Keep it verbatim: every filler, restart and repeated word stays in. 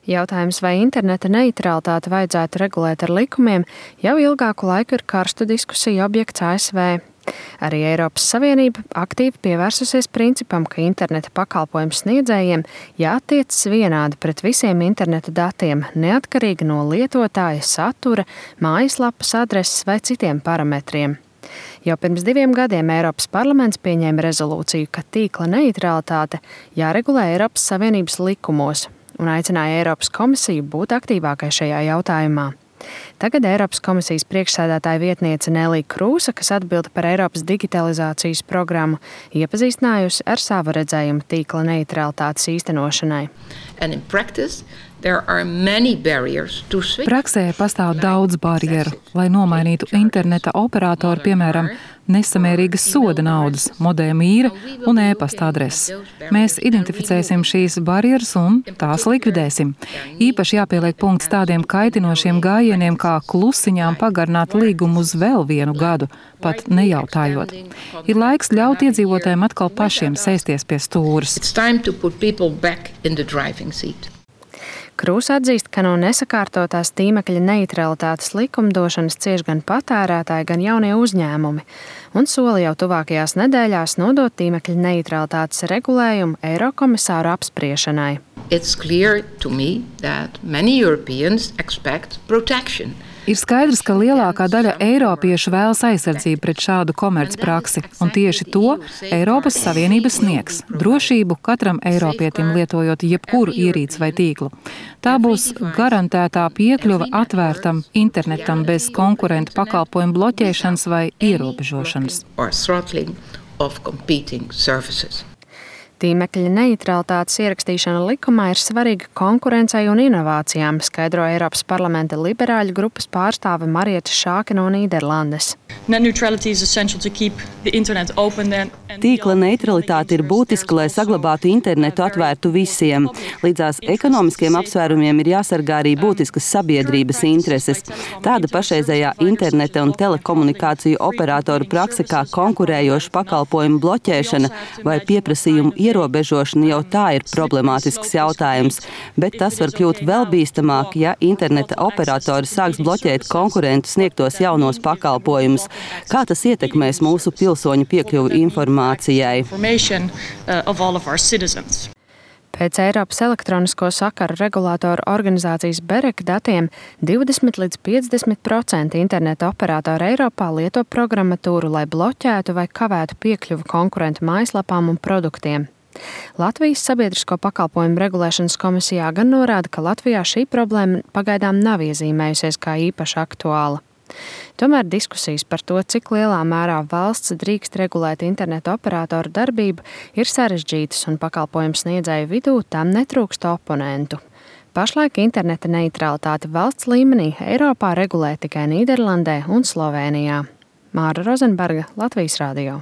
Jautājums, vai interneta neitralitāti vajadzētu regulēt ar likumiem, jau ilgāku laiku ir karstu diskusiju objekts A S V. Arī Eiropas Savienība aktīvi pievērsusies principam, ka interneta pakalpojumu sniedzējiem jātiecas vienādi pret visiem interneta datiem, neatkarīgi no lietotāja satura, mājaslapas adreses vai citiem parametriem. Jau pirms diviem gadiem Eiropas parlaments pieņēma rezolūciju, ka tīkla neitralitāte jāregulē Eiropas Savienības likumos un aicināja Eiropas komisiju būt aktīvākai šajā jautājumā. Tagad Eiropas komisijas priekšsēdētāja vietniece Nelija Krūsa, kas atbilda par Eiropas digitalizācijas programmu, iepazīstinājusi ar savu redzējumu tīkla neitralitātes īstenošanai. Praksē pastāv daudz barjeru, lai nomainītu interneta operātoru, piemēram, nesamērīgas soda naudas, modēma īra un e-pasta adreses. Mēs identificēsim šīs barjeras un tās likvidēsim. Īpaši jāpieliek punkts tādiem kaitinošiem gājieniem, kā klusiņām pagarināt līgumu uz vēl vienu gadu, pat nejautājot. Ir laiks ļaut iedzīvotājiem atkal pašiem sēsties pie stūres. Krūsa atzīst, ka no nesakārtotās tīmekļa neitralitātes likumdošanas cieš gan patērētāji, gan jaunie uzņēmumi, un soli jau tuvākajās nedēļās nodot tīmekļa neitralitātes regulējumu Eirokomisāru apspriešanai. It's clear to me that many Europeans expect protection. Ir skaidrs, ka lielākā daļa eiropiešu vēlas aizsardzību pret šādu komercpraksi, un tieši to Eiropas Savienība sniegs – drošību katram eiropietim lietojot jebkuru ierīci vai tīklu. Tā būs garantētā piekļuva atvērtam internetam bez konkurentu pakalpojumu bloķēšanas vai ierobežošanas. Tīmekļa neitralitātes ierakstīšana likumā ir svarīga konkurencei un inovācijām, skaidro Eiropas parlamenta liberāļu grupas pārstāve Marieta Šāke no Nīderlandes. Tīkla neutralitāte ir būtiska, lai saglabātu internetu atvērtu visiem. Līdzās ekonomiskiem apsvērumiem ir jāsargā arī būtiskas sabiedrības intereses. Tāda pašreizējā interneta un telekomunikāciju operātoru prakse kā konkurējošu pakalpojumu bloķēšana vai pieprasījumu ierobežošana jau tā ir problemātisks jautājums, bet tas var kļūt vēl bīstamāk, ja interneta operatori sāks bloķēt konkurentu sniegtos jaunos pakalpojumus. Kā tas ietekmēs mūsu pilsoņu piekļuvi informācijai? Pēc Eiropas elektronisko sakaru regulātoru organizācijas BEREK datiem divdesmit līdz piecdesmit procenti interneta operātori Eiropā lieto programmatūru, lai bloķētu vai kavētu piekļuvi konkurentu mājaslapām un produktiem. Latvijas sabiedrisko pakalpojumu regulēšanas komisijā gan norāda, ka Latvijā šī problēma pagaidām nav iezīmējusies kā īpaši aktuāla. Tomēr diskusijas par to, cik lielā mērā valsts drīkst regulēt interneta operātoru darbību, ir sarežģītas un pakalpojumu sniedzēju vidū tam netrūkst oponentu. Pašlaik interneta neitralitāti valsts līmenī Eiropā regulē tikai Nīderlandē un Slovēnijā. Māra Rozenberga, Latvijas radio.